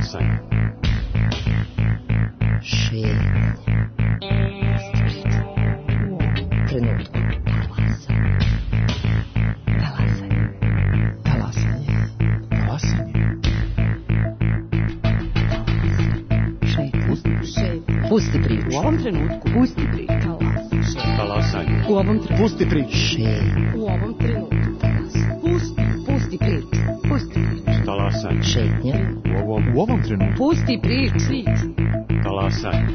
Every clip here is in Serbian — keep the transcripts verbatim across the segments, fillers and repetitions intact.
Talasanje. Šetnja. Trenutku. Talasanje. Talasanje. Talasanje. Šetnja. Pusti priču. U ovom trenutku. Pusti priču. Talasanje. U ovom trenutku. Pusti priču. Šetnja. U ovom trenutku. Pusti. Pusti priču. Pusti priču. Talasanje. Šetnja. U ovom, U ovom trenutku. Pusti priču. talasanje.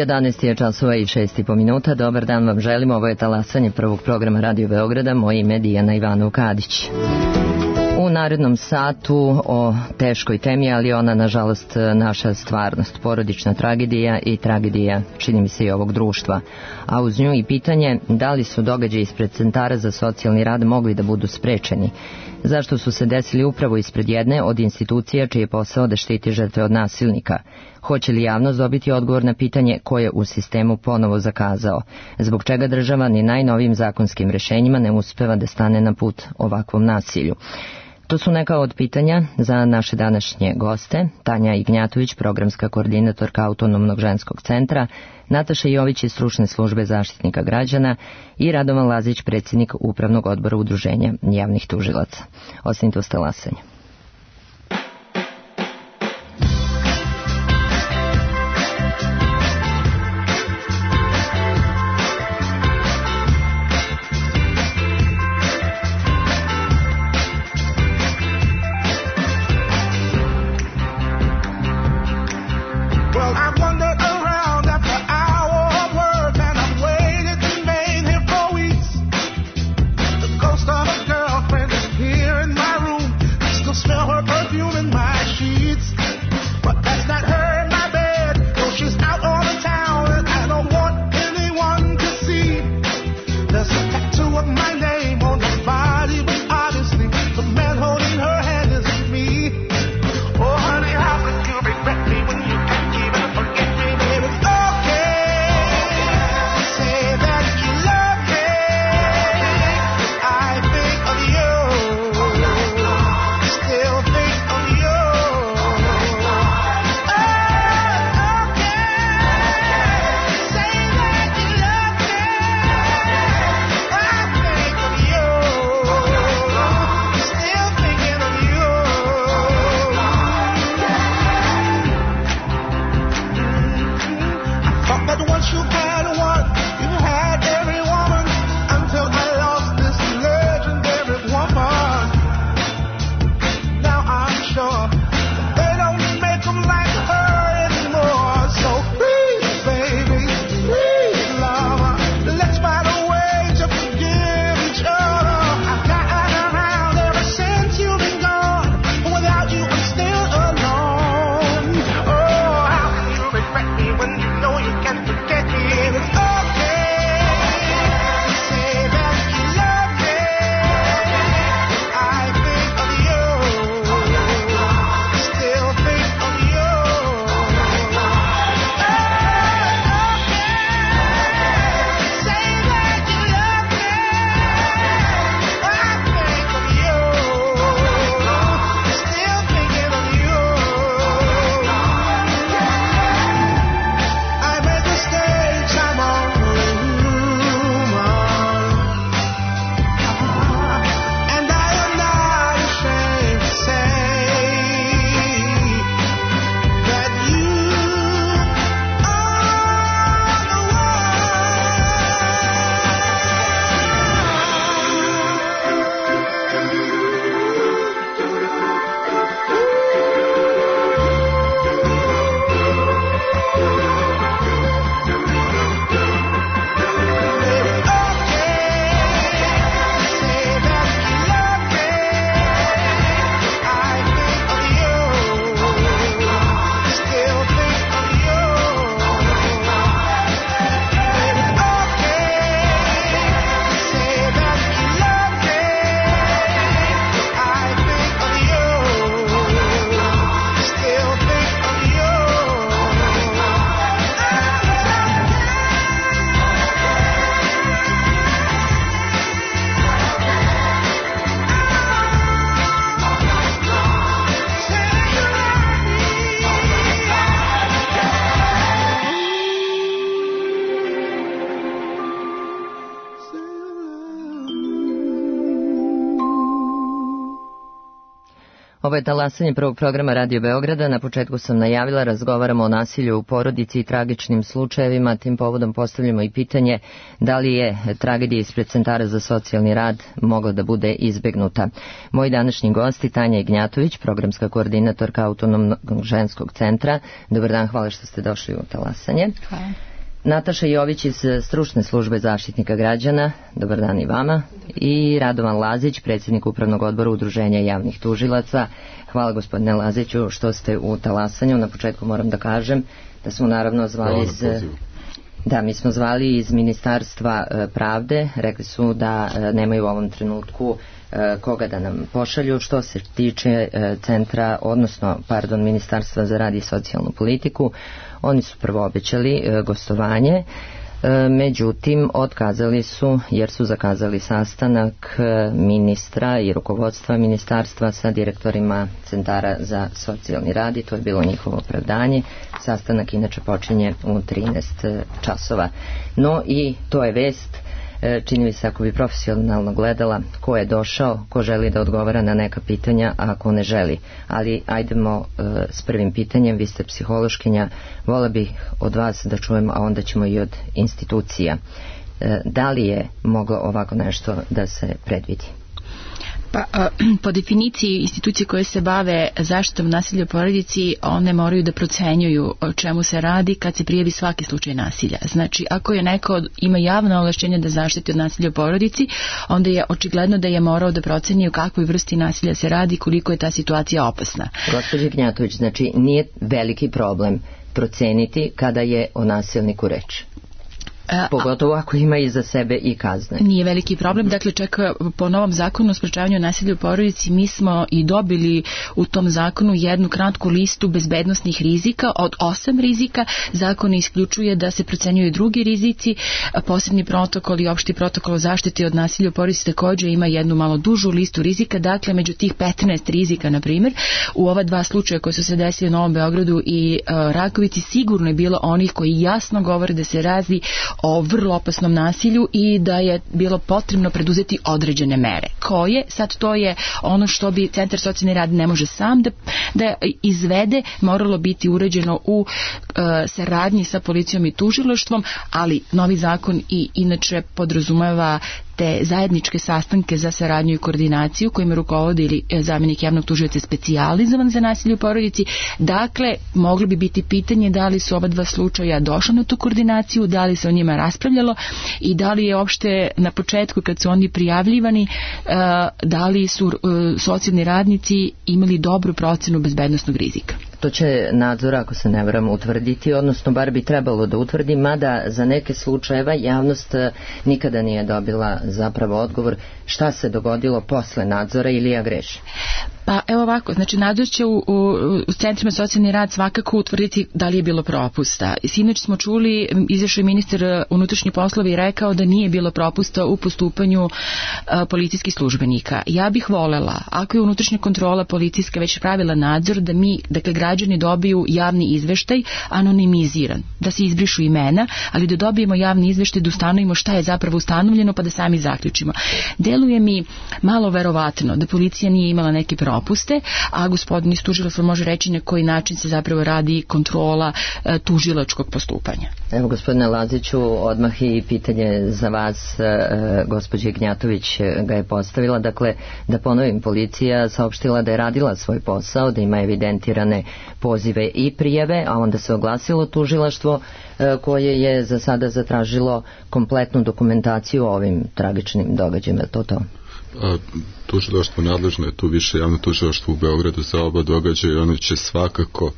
jedanaest je časova i šest i po minuta. Dobar dan vam želim. Ovo je talasanje prvog programa Radio Beograda. Moje ime je Dijana Ivanov-Kadić. U narednom satu o teškoj temi, ali ona nažalost naša stvarnost, porodična tragedija i tragedija, čini mi se, i ovog društva. A uz nju i pitanje da li su događaji ispred centara za socijalni rad mogli da budu sprečeni. Zašto su se desili upravo ispred jedne od institucija čiji je posao da štiti žrtve od nasilnika? Hoće li javnost dobiti odgovor na pitanje ko je u sistemu ponovo zakazao? Zbog čega država ni najnovijim zakonskim rešenjima ne uspeva da stane na put ovakvom nasilju? To su neka od pitanja za naše današnje goste. Tanja Ignjatović, programska koordinatorka Autonomnog ženskog centra, Nataša Jović iz stručne službe Zaštitnika građana i Radovan Lazić, predsjednik Upravnog odbora Udruženja javnih tužilaca. Ostanite uz talasanje. When you know you can't forget me. Ovo je talasanje prvog programa Radio Beograda. Na početku sam najavila, razgovaramo o nasilju u porodici i tragičnim slučajevima. Tim povodom postavljamo i pitanje da li je tragedija ispred centara za socijalni rad mogla da bude izbegnuta. Moji današnji gosti, Tanja Ignjatović, programska koordinatorka Autonomnog ženskog centra. Dobar dan, hvala što ste došli u talasanje. Hvala. Nataša Jović iz stručne službe Zaštitnika građana, dobar dan i vama, i Radovan Lazić, predsjednik Upravnog odbora Udruženja javnih tužilaca. Hvala gospodine Laziću što ste u talasanju. Na početku moram da kažem da smo naravno zvali iz... Da, mi smo zvali iz Ministarstva pravde, rekli su da nemaju u ovom trenutku koga da nam pošalju. Što se tiče centra, odnosno, pardon, Ministarstva za rad i socijalnu politiku, oni su prvo obećali gostovanje, međutim otkazali su jer su zakazali sastanak ministra i rukovodstva ministarstva sa direktorima centara za socijalni rad i to je bilo njihovo opravdanje. Sastanak inače počinje u trinaest časova. No i to je vest, čini mi se, ako bi profesionalno gledala, ko je došao, ko želi da odgovara na neka pitanja, a ko ne želi. Ali ajdemo uh, s prvim pitanjem, vi ste psihološkinja, vola bih od vas da čujemo, a onda ćemo i od institucija. Uh, da li je moglo ovako nešto da se predvidi? Pa, po definiciji institucije koje se bave zaštitom nasilja u porodici, one moraju da procenjuju o čemu se radi kad se prijavi svaki slučaj nasilja. Znači, ako je neko ima javno ovlašćenje da zaštiti od nasilja u porodici, onda je očigledno da je morao da proceni u kakvoj vrsti nasilja se radi, koliko je ta situacija opasna. Gospođa Ignjatović, znači nije veliki problem proceniti kada je o nasilniku reč? Pogotovo ako ima iza sebe i kazne. Nije veliki problem. Dakle, čak po novom zakonu o sprečavanju nasilja u porodici mi smo i dobili u tom zakonu jednu kratku listu bezbednosnih rizika od osam rizika. Zakon isključuje da se procenjuju drugi rizici. Posebni protokol i opšti protokol o zaštiti od nasilja u porodici također ima jednu malo dužu listu rizika. Dakle, među tih petnaest rizika, na primjer, u ova dva slučaja koji su se desili u Novom Beogradu i uh, Rakovici, sigurno je bilo onih koji jasno govore da se radi o vrlo opasnom nasilju i da je bilo potrebno preduzeti određene mere. Koje? Sad to je ono što bi Centar socijalni rad ne može sam da, da izvede, moralo biti uređeno u uh, saradnji sa policijom i tužilaštvom, ali novi zakon i inače podrazumeva te zajedničke sastanke za saradnju i koordinaciju kojima rukovodi ili zamjenik javnog tužioca specijalizovan za nasilje u porodici. Dakle, moglo bi biti pitanje da li su oba dva slučaja došla na tu koordinaciju, da li se o njima raspravljalo i da li je opšte na početku kad su oni prijavljivani, da li su socijalni radnici imali dobru procenu bezbednosnog rizika. To će nadzor, ako se ne varam, utvrditi, odnosno bar bi trebalo da utvrdi, mada za neke slučajeva javnost nikada nije dobila zapravo odgovor šta se dogodilo posle nadzora ili ja grešim. Pa evo ovako, znači nadzor će u, u, u centrima socijalni rad svakako utvrditi da li je bilo propusta. Sinoć smo čuli, izašao je ministar unutrašnjih poslova i rekao da nije bilo propusta u postupanju a, policijskih službenika. Ja bih volela, ako je unutrašnja kontrola policijska već pravila nadzor, da mi, dakle građani dobiju javni izveštaj anonimiziran, da se izbrišu imena, ali da dobijemo javni izveštaj, da ustanovimo šta je zapravo ustanovljeno pa da sami zaključimo. Deluje mi malo verovatno da policija nije imala neki problem propuste, a gospodin iz tužilaštva može reći na koji način se zapravo radi kontrola e, tužilačkog postupanja. Evo, gospodine Laziću, odmah i pitanje za vas, e, gospođa Ignjatović ga je postavila. Dakle, da ponovim, policija saopštila da je radila svoj posao, da ima evidentirane pozive i prijave, a onda se oglasilo tužilaštvo e, koje je za sada zatražilo kompletnu dokumentaciju o ovim tragičnim događajima. Je to to? A, tužilaštvo nadležno je tu više javno tužilaštvo u Beogradu za oba događaja i ono će svakako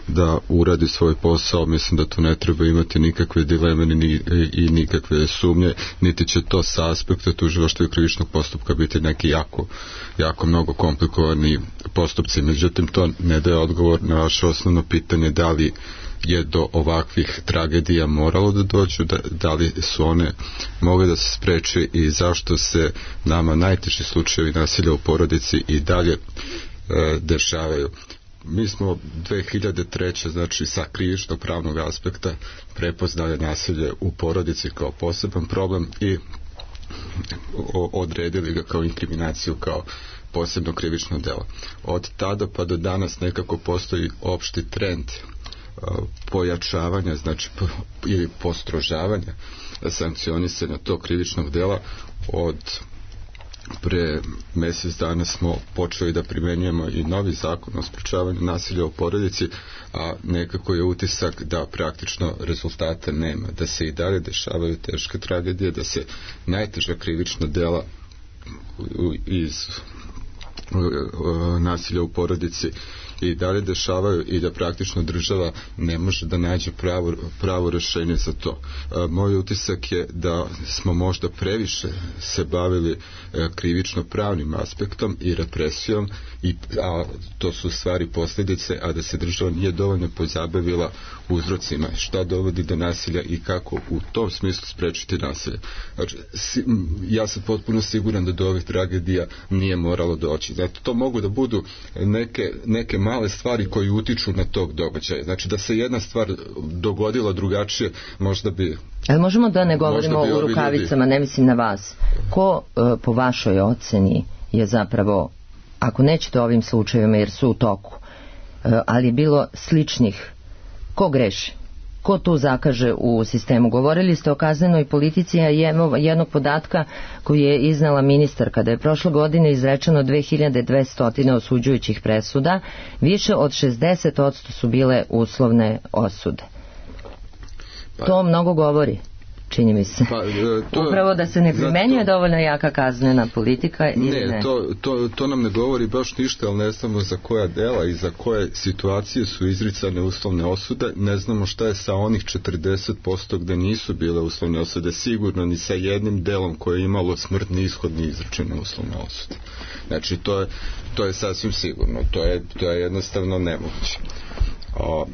da uradi svoj posao. Mislim da tu ne treba imati nikakve dileme ni, i nikakve sumnje, niti će to sa aspekta tužilaštva i krivičnog postupka biti neki jako, jako mnogo komplikovani postupci. Međutim, to ne daje odgovor na vaše osnovno pitanje da li je do ovakvih tragedija moralo da dođu, da, da li su one mogle da se spreče i zašto se nama najteži slučajevi nasilja u porodici i dalje e, dešavaju. Mi smo dve hiljade treće. znači sa krivičnog pravnog aspekta prepoznali nasilje u porodici kao poseban problem i odredili ga kao inkriminaciju, kao posebno krivično delo. Od tada pa do danas nekako postoji opšti trend pojačavanja, znači ili postrožavanja sankcionisanja tog krivičnog dela. Od pre mjesec dana smo počeli da primenjujemo i novi zakon o sprečavanju nasilja u porodici, a nekako je utisak da praktično rezultata nema, da se i dalje dešavaju teške tragedije, da se najteža krivična dela iz nasilja u porodici i dalje dešavaju i da praktično država ne može da nađe pravo, pravo rešenje za to. E, moj utisak je da smo možda previše se bavili e, krivično pravnim aspektom i represijom, i, a to su stvari posljedice, a da se država nije dovoljno pozabavila uzrocima šta dovodi do nasilja i kako u tom smislu sprečiti nasilje. Znači, si, ja sam potpuno siguran da do ovih tragedija nije moralo doći. Znači, to mogu da budu neke, neke male stvari koji utiču na tog događaja. Znači, da se jedna stvar dogodila drugačije, možda bi... Ali možemo da ne govorimo o rukavicama, ljudi... ne mislim na vas. Ko po vašoj oceni je zapravo, ako nećete o ovim slučajevima jer su u toku, ali je bilo sličnih, ko greši? Ko tu zakaže u sistemu? Govorili ste o kaznenoj politici, a jednog podatka koji je iznala ministarka, da je prošle godine izrečeno dve hiljade dvesta osuđujućih presuda, više od šezdeset posto su bile uslovne osude. To mnogo govori, čini mi se. Pa, to, upravo da se ne primenjuje dovoljno jaka kaznena politika ili ne? Ne, to, to, to nam ne govori baš ništa, ali ne znamo za koja dela i za koje situacije su izricane uslovne osude. Ne znamo šta je sa onih četrdeset posto gde nisu bile uslovne osude. Sigurno ni sa jednim delom koje je imalo smrtni ishod ni izrečene uslovne osude. Znači, to je, to je sasvim sigurno. To je, to je jednostavno nemoguće. O,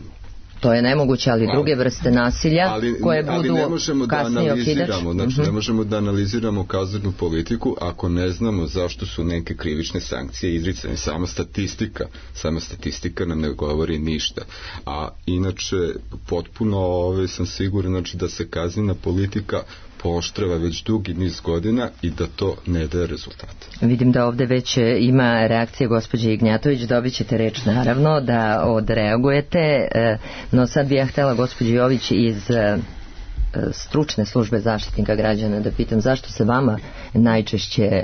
To je nemoguće, ali druge vrste nasilja ali, koje budu ali ne možemo da analiziramo, znači uh-huh. ne možemo da analiziramo kaznenu politiku ako ne znamo zašto su neke krivične sankcije izricane. Sama statistika, sama statistika nam ne govori ništa. A inače potpuno ove, sam siguran znači, da se kaznena politika pooštrava već dugi niz godina i da to ne daje rezultate. Vidim da ovde već ima reakcije gospođe Ignjatović, dobit ćete reč naravno da odreagujete, no sad bih ja htjela gospođi Jović iz stručne službe Zaštitnika građana da pitam zašto se vama najčešće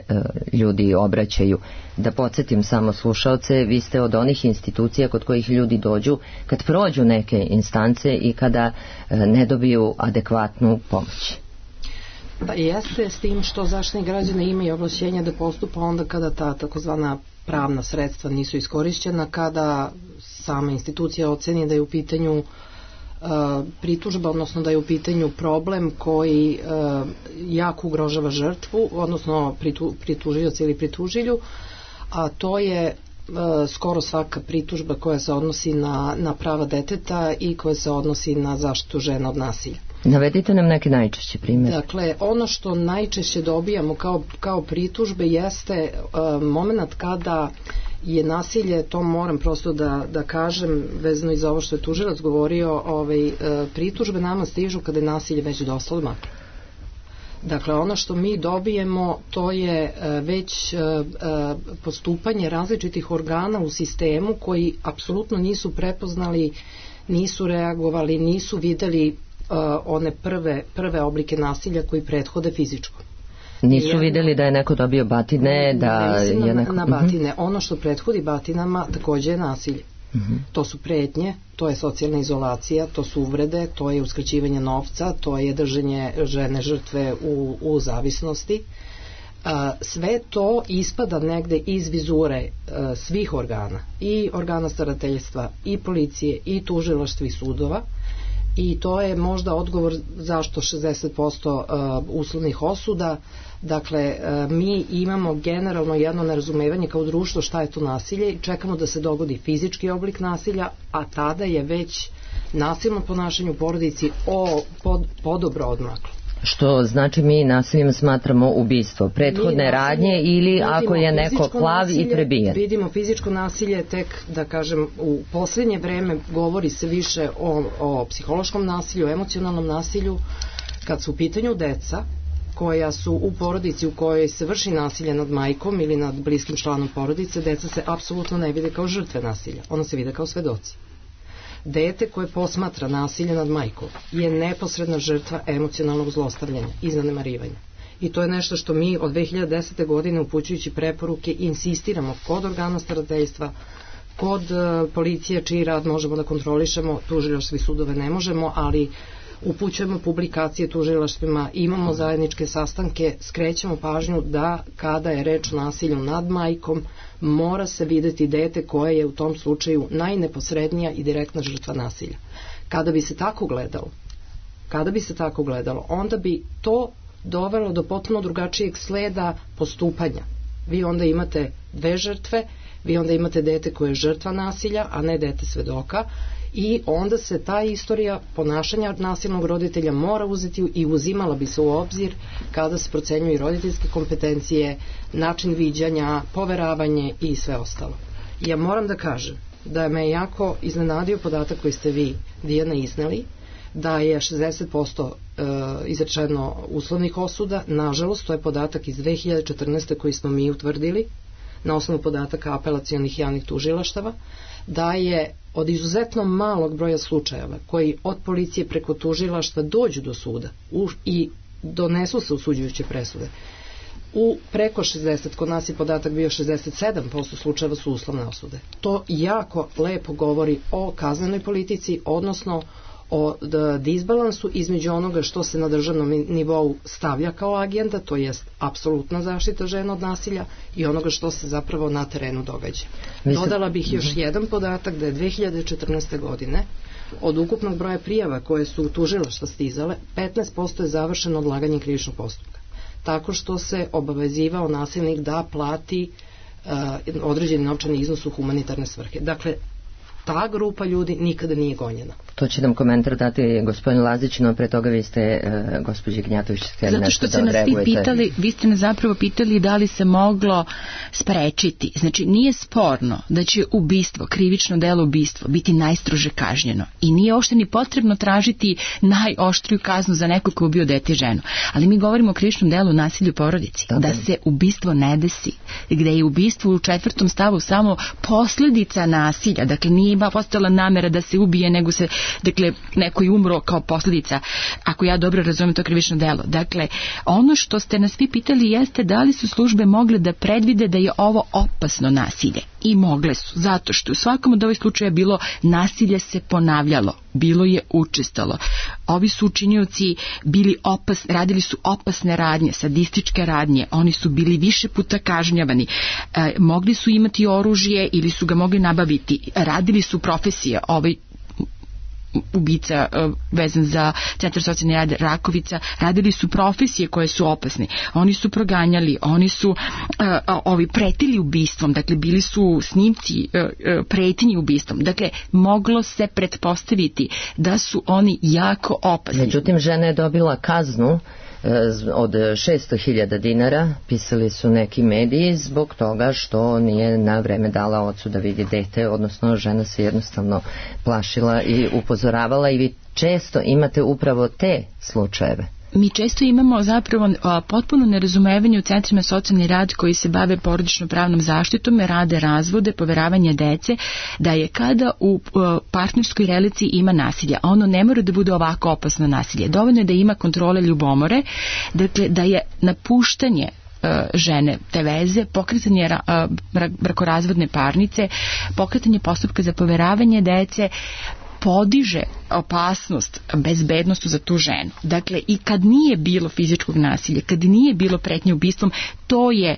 ljudi obraćaju. Da podsjetim samo slušaoce, vi ste od onih institucija kod kojih ljudi dođu kad prođu neke instance i kada ne dobiju adekvatnu pomoć. Pa jeste, s tim što Zaštitnik građana ima i ovlašćenja da postupa onda kada ta takozvana pravna sredstva nisu iskorišćena, kada sama institucija oceni da je u pitanju uh, pritužba, odnosno da je u pitanju problem koji uh, jako ugrožava žrtvu, odnosno pritu, pritužioca ili pritužilju, a to je uh, skoro svaka pritužba koja se odnosi na, na prava deteta i koja se odnosi na zaštitu žena od nasilja. Navedite nam neki najčešći primjer. Dakle, ono što najčešće dobijamo kao, kao pritužbe jeste uh, moment kada je nasilje, to moram prosto da, da kažem, vezano i za ovo što je tužilac govorio, ovaj, uh, pritužbe nama stižu kada je nasilje već dosta odmaklo. Dakle, ono što mi dobijemo, to je uh, već uh, uh, postupanje različitih organa u sistemu koji apsolutno nisu prepoznali, nisu reagovali, nisu videli Uh, one prve, prve oblike nasilja koji prethode fizičkom. Nisu Jedno, videli da je neko dobio batine, da ne je neko... na, na batine. Uh-huh. Ono što prethodi batinama takođe je nasilje. Uh-huh. To su pretnje, to je socijalna izolacija, to su uvrede, to je uskraćivanje novca, to je držanje žene žrtve u, u zavisnosti. Uh, sve to ispada negde iz vizure uh, svih organa, i organa starateljstva, i policije, i tužilaštva i sudova. I to je možda odgovor zašto šezdeset posto uh, uslovnih osuda. Dakle, uh, mi imamo generalno jedno nerazumevanje kao društvo šta je to nasilje i čekamo da se dogodi fizički oblik nasilja, a tada je već nasilno ponašanje u porodici o, pod, podobro odmaklo. Što znači mi nasiljem smatramo ubistvo, prethodne radnje ili ako je neko klav nasilje, i prebijen. Vidimo fizičko nasilje tek, da kažem, u posljednje vreme govori se više o, o psihološkom nasilju, emocionalnom nasilju, kad su u pitanju deca, koja su u porodici u kojoj se vrši nasilje nad majkom ili nad bliskim članom porodice, deca se apsolutno ne vide kao žrtve nasilja, ona se vide kao svedoci. Dete koje posmatra nasilje nad majkom je neposredna žrtva emocionalnog zlostavljanja i zanemarivanja. I to je nešto što mi od dve hiljade desete. godine upućujući preporuke insistiramo kod organa starateljstva, kod uh, policije čiji rad možemo da kontrolišemo, tužilaštva i sudove ne možemo, ali upućujemo publikacije tužilaštvima, imamo zajedničke sastanke, skrećemo pažnju da kada je reč o nasilju nad majkom, mora se videti dete koje je u tom slučaju najneposrednija i direktna žrtva nasilja. Kada bi se tako gledalo, kada bi se tako gledalo, onda bi to dovelo do potpuno drugačijeg sleda postupanja. Vi onda imate dve žrtve, vi onda imate dete koje je žrtva nasilja, a ne dete svedoka, i onda se ta istorija ponašanja nasilnog roditelja mora uzeti i uzimala bi se u obzir kada se procenjuju i roditeljske kompetencije, način viđanja, poveravanje i sve ostalo. Ja moram da kažem da me jako iznenadio podatak koji ste vi, Dijana, izneli, da je šezdeset posto e, izrečeno uslovnih osuda. Nažalost, to je podatak iz dve hiljade četrnaeste. koji smo mi utvrdili na osnovu podataka apelacionih javnih tužilaštava, da je od izuzetno malog broja slučajeva koji od policije preko tužilaštva dođu do suda u, i donesu se osuđujuće presude, u preko šezdeset, kod nas je podatak bio šezdeset sedam posto slučajeva su uslovne osude. To jako lepo govori o kaznenoj politici, odnosno o disbalansu između onoga što se na državnom nivou stavlja kao agenda, to jest apsolutna zaštita žena od nasilja, i onoga što se zapravo na terenu događa. Dodala bih još jedan podatak da je dve hiljade četrnaeste. godine od ukupnog broja prijava koje su u tužilaštva stizale, petnaest posto je završeno odlaganjem krivičnog postupka, tako što se obavezivao nasilnik da plati uh, određeni novčani iznos u humanitarne svrhe. Dakle, ta grupa ljudi nikada nije gonjena. To će nam komentar dati gospodin Lazić, no pre toga vi ste, e, gospođi Gnjatović, htjeli nešto da odreagujete. Zato što ste nas vi pitali, vi ste nas zapravo pitali da li se moglo sprečiti. Znači, nije sporno da će ubistvo, krivično delo ubistvo, biti najstrože kažnjeno. I nije uopšte ni potrebno tražiti najoštriju kaznu za neko ko je ubio dete i ženu. Ali mi govorimo o krivičnom delu nasilju u porodici. Dobre. Da se ubistvo ne desi. Gde je ubistvo u četvrtom stavu samo posljedica nasilja. Dakle, nije ima postala namera da se ubije, nego se, dakle, neko je umro kao posljedica, ako ja dobro razumijem to krivično delo. Dakle, ono što ste nas vi pitali jeste da li su službe mogle da predvide da je ovo opasno nasilje. I mogle su, zato što u svakom od ovih slučaja bilo nasilje se ponavljalo, bilo je učestalo. Ovi su učinioci bili opas, radili su opasne radnje, sadističke radnje, oni su bili više puta kažnjavani, e, mogli su imati oružje ili su ga mogli nabaviti, radili su profesije, ovaj ubica uh, vezan za Centar socijalni rad Rakovica, radili su profesije koje su opasne. Oni su proganjali, oni su uh, ovi pretili ubistvom, dakle bili su snimci uh, uh, pretnji ubistvom. Dakle, moglo se pretpostaviti da su oni jako opasni. Međutim, žena je dobila kaznu od šesto hiljada dinara, pisali su neki mediji, zbog toga što nije na vreme dala ocu da vidi dete, odnosno žena se jednostavno plašila i upozoravala, i vi često imate upravo te slučajeve. Mi često imamo zapravo a, potpuno nerazumevanje u centrima socijalni rad koji se bave porodično pravnom zaštitom, rade razvode, poveravanje dece, da je kada u a, partnerskoj relaciji ima nasilja, ono ne mora da bude ovako opasno nasilje. Dovoljno je da ima kontrole ljubomore, dakle da je napuštanje žene te veze, pokretanje brakorazvodne parnice, pokretanje postupka za poveravanje dece, podiže opasnost, bezbednost za tu ženu. Dakle, i kad nije bilo fizičkog nasilja, kad nije bilo pretnje ubistvom, to je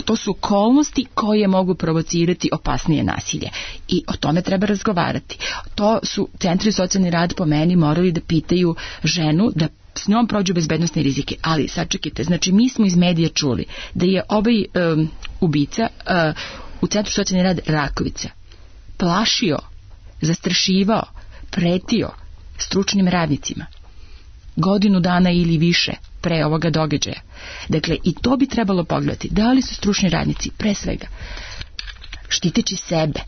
to su okolnosti koje mogu provocirati opasnije nasilje. I o tome treba razgovarati. To su centri socijalni rad po meni morali da pitaju ženu, da s njom prođu bezbednostne rizike. Ali, sačekajte, znači mi smo iz medija čuli da je ovaj um, ubica uh, u centru socijalni rad Rakovica plašio, zastrašivao, pretio stručnim radnicima godinu dana ili više pre ovoga događaja. Dakle, i to bi trebalo pogledati. Da li su stručni radnici, pre svega, štiteći sebe,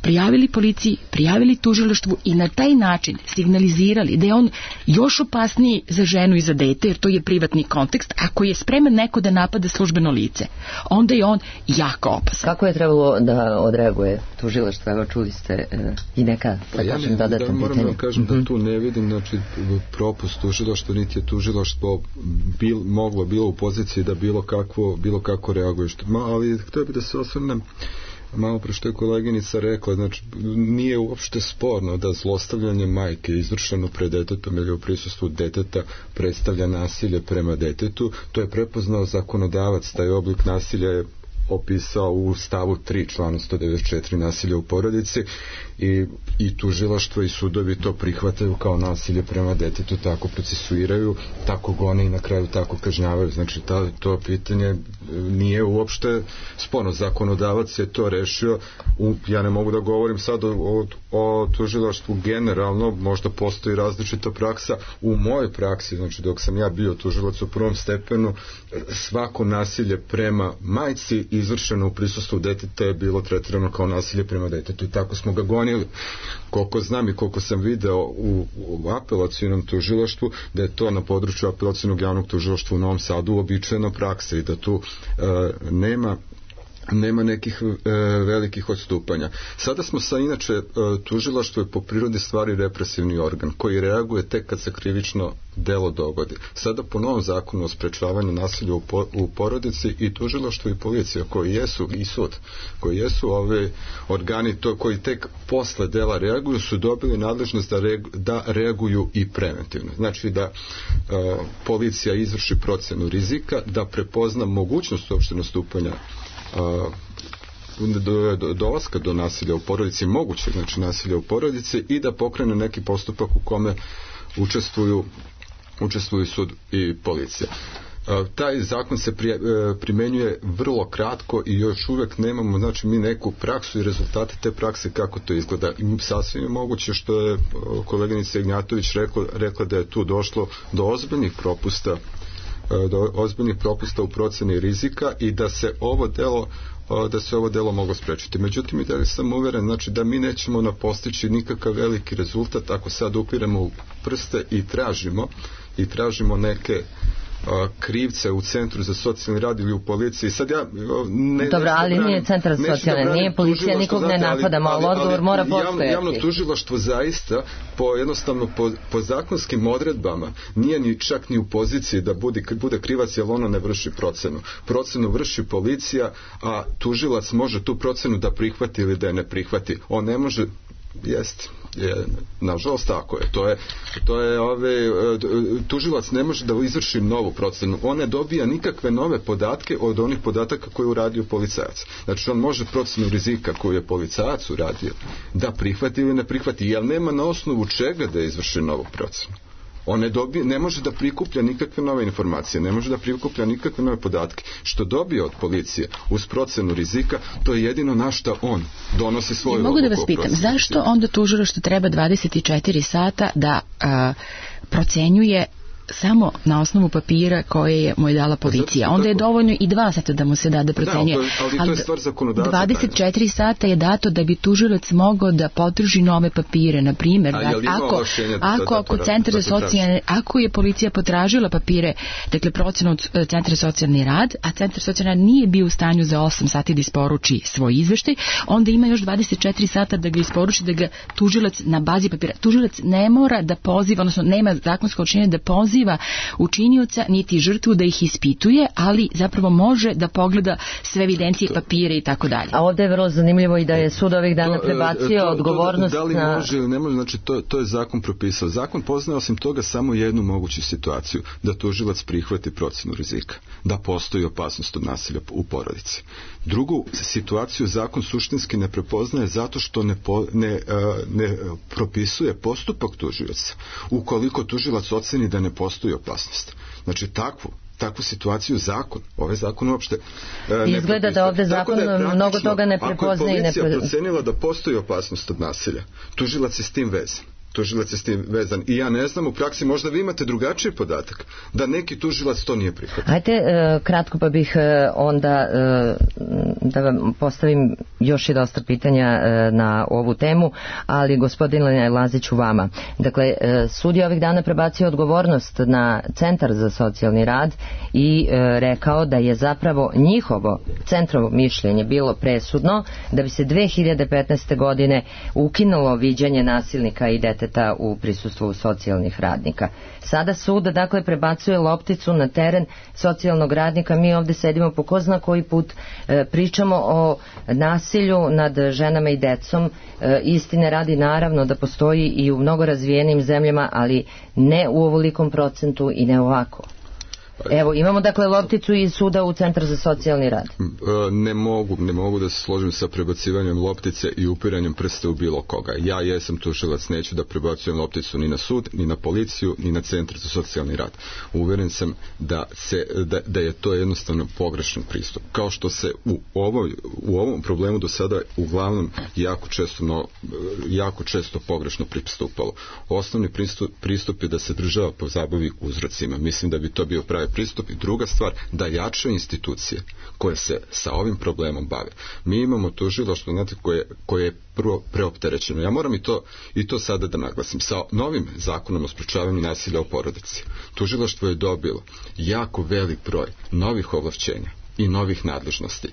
prijavili policiji, prijavili tužilaštvu i na taj način signalizirali da je on još opasniji za ženu i za dete, jer to je privatni kontekst. Ako je spreman neko da napada službeno lice, onda je on jako opasan. Kako je trebalo da odreaguje tužilaštvo? Evo, čuli ste e, i neka pa ja ne, dodatna da, moram pitanja. da kažem mm-hmm. da tu ne vidim znači, propust tužilaštva, niti je tužilaštvo bil, moglo bilo u poziciji da bilo kakvo, bilo kako reaguje. Što, ma, ali htio bih da se osvrnem malo pre što je koleginica rekla, znači nije uopšte sporno da zlostavljanje majke izvršeno pred detetom ili u prisustvu deteta predstavlja nasilje prema detetu. To je prepoznao zakonodavac, taj oblik nasilja je opisao u stavu tri člana sto devedeset četiri nasilja u porodici i, i tužilaštvo i sudovi to prihvataju kao nasilje prema detetu, tako procesuiraju, tako gone i na kraju tako kažnjavaju. Znači ta, to pitanje nije uopšte sporno. Zakonodavac je to rešio. U, ja ne mogu da govorim sad o, o, o tužilaštvu generalno, možda postoji različita praksa. U mojoj praksi, znači dok sam ja bio tužilac u prvom stepenu, svako nasilje prema majci izvršeno u prisustvu deteta je bilo tretirano kao nasilje prema detetu i tako smo ga gonili. Koliko znam i koliko sam video u, u apelacijnom tužilaštvu, da je to na području apelacijnog javnog tužilaštva u Novom Sadu uobičajena praksa i da tu e, nema nema nekih e, velikih odstupanja. Sada smo sa inače e, tužilaštvo je po prirodi stvari represivni organ koji reaguje tek kad se krivično delo dogodi. Sada po novom zakonu o sprečavanju nasilja u, po, u porodici i tužilaštvo i policija koji jesu i sud, koji jesu ove organi to koji tek posle dela reaguju su dobili nadležnost da, reagu, da reaguju i preventivno. Znači da e, policija izvrši procenu rizika, da prepozna mogućnost uopšte nastupanja do, do, dolaska do nasilja u porodici, moguće znači nasilja u porodici i da pokrene neki postupak u kome učestvuju učestvuju sud i policija. Taj zakon se primenjuje vrlo kratko i još uvek nemamo znači mi neku praksu i rezultate te prakse kako to izgleda. I sasvim je moguće što je koleginica Ignjatović rekla, rekla da je tu došlo do ozbiljnih propusta do ozbiljnih propusta u proceni rizika i da se ovo delo da se ovo delo moglo sprečiti. Međutim, i da li sam uveren znači, da mi nećemo na postići nikakav veliki rezultat ako sad upiremo u prste i tražimo i tražimo neke krivce u centru za socijalni rad ili u policiji. Sad ja ne, Dobro, ali branim, nije centar za socijalne, nije policija, nikog ne napadamo, ali, ali odgovor mora postojati. Javno, javno tužilaštvo zaista po jednostavno po, po zakonskim odredbama nije ni čak ni u poziciji da bude, bude krivac jer ono ne vrši procenu. Procenu vrši policija, a tužilac može tu procenu da prihvati ili da je ne prihvati. On ne može Jeste, je, nažalost tako je. To je, to je ove, tužilac ne može da izvrši novu procenu. On ne dobija nikakve nove podatke od onih podataka koje je uradio policajac. Znači on može procenu rizika koju je policajac uradio da prihvati ili ne prihvati, jer nema na osnovu čega da izvrši novu procenu. On ne, dobije, ne može da prikuplja nikakve nove informacije, ne može da prikuplja nikakve nove podatke. Što dobije od policije uz procenu rizika, to je jedino na šta on donosi svoju odluku. Mogu da vas pitam, zašto onda tužilaštvo treba dvadeset četiri sata da a, procenjuje samo na osnovu papira koje je mu je dala policija. Onda je dovoljno i dva sata da mu se da da procenjuje. Da, ali to je stvar zakonodavca. dvadeset četiri sata je dato da bi tužilac mogao da potraži nove papire. Na primjer, da, ako, ako, ako, centar za socijalne, ako je policija potražila papire, dakle procenu od centra za socijalni rad, a centar za socijalni rad nije bio u stanju za osam sati da isporuči svoj izveštaj, onda ima još dvadeset četiri sata da ga isporuči, da ga tužilac na bazi papira. Tužilac ne mora da poziva, odnosno nema zakonsko učinjenje da poziva učinioca niti žrtvu da ih ispituje, ali zapravo može da pogleda sve evidencije, papire i tako dalje. A ovdje je vrlo zanimljivo i da je sud ovih dana prebacio to, to, odgovornost da li na... može ili ne može, znači to, to je zakon propisao. Zakon poznaje osim toga samo jednu moguću situaciju, da tužilac prihvati procenu rizika, da postoji opasnost od nasilja u porodici. Drugu situaciju zakon suštinski ne prepoznaje zato što ne, po, ne, ne propisuje postupak tužioca. Ukoliko tužilac oceni da ne postoji opasnost. Znači takvu takvu situaciju zakon, ovaj zakon uopšte e, ne izgleda da ovdje zakon da mnogo toga ne prepoznaje. Ako je policija procenila da postoji opasnost od nasilja, tužilac je s tim vezan. tužilac je s tim vezan. I ja ne znam, u praksi možda vi imate drugačiji podatak, da neki tužilac to nije prihvatio. Ajde, e, kratko pa bih e, onda e, da vam postavim još i dosta pitanja e, na ovu temu, ali gospodine Laziću vama. Dakle, e, sud je ovih dana prebacio odgovornost na Centar za socijalni rad i e, rekao da je zapravo njihovo centrovo mišljenje bilo presudno da bi se dve hiljade petnaeste. godine ukinulo viđanje nasilnika i deteta u prisustvu socijalnih radnika. Sada sud, dakle, prebacuje lopticu na teren socijalnog radnika. Mi ovdje sedimo po ko zna koji put, e, pričamo o nasilju nad ženama i decom. E, istine radi, naravno da postoji i u mnogo razvijenim zemljama, ali ne u ovolikom procentu i ne ovako. Evo, imamo dakle lopticu iz suda u Centar za socijalni rad. Ne mogu, ne mogu da se složim sa prebacivanjem loptice i upiranjem prste u bilo koga. Ja jesam tužilac, neću da prebacujem lopticu ni na sud, ni na policiju, ni na Centar za socijalni rad. Uveren sam da, se, da, da je to jednostavno pogrešan pristup. Kao što se u, ovoj, u ovom problemu do sada uglavnom jako često, no, jako često pogrešno pristupalo. Osnovni pristup, pristup je da se država pozabavi uzrocima. Mislim da bi to bio pravi pristup. I druga stvar, da jače institucije koje se sa ovim problemom bave. Mi imamo tužilaštvo, znate, koje, koje je prvo preopterećeno. Ja moram i to, i to sada da naglasim. Sa novim zakonom o sprečavanju nasilja u porodici, tužilaštvo je dobilo jako velik broj novih ovlašćenja i novih nadležnosti.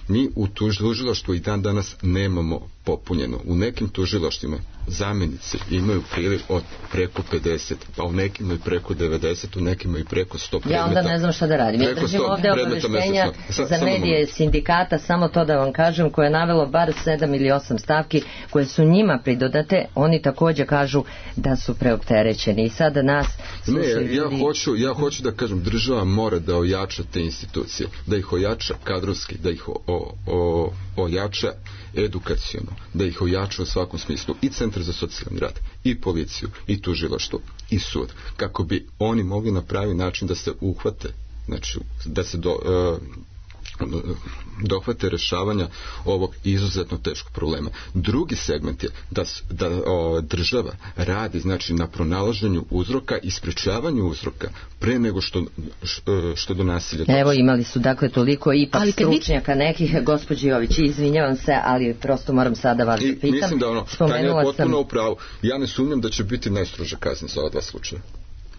Mi u tužilaštvu i dan danas nemamo popunjeno. U nekim tužilaštvima zamjenici imaju priliv od preko pedeset, pa u nekim i preko devedeset, u nekim i preko sto predmeta. Ja onda ne znam šta da radim. Ja držim ovdje obaveštenja za medije sindikata, samo to da vam kažem, koje je navelo bar sedam ili osam stavki koje su njima pridodate. Oni također kažu da su preopterećeni. I sada nas slušaju ljudi. Ne, ja hoću, ja hoću da kažem, država mora da ojača te institucije, da ih ojača kadrovski, da ih o, o, o, ojača edukaciono, da ih ojača u svakom smislu, i Centar za socijalni rad, i policiju, i tužilaštvo, i sud, kako bi oni mogli na pravi način da se uhvate, znači da se do, uh, dohvate rešavanja ovog izuzetno teškog problema. Drugi segment je da, da o, država radi, znači, na pronalaženju uzroka i sprečavanju uzroka pre nego što, što, što do nasilja dođe. Evo, imali su dakle toliko ipak ali stručnjaka vi... nekih, gospođi Jović, izvinjavam se, ali prosto moram sada vas da pitam. Mislim da ono, Tanja je potpuno sam... u pravu. Ja ne sumnjam da će biti najstroža kazna za ova dva slučaja.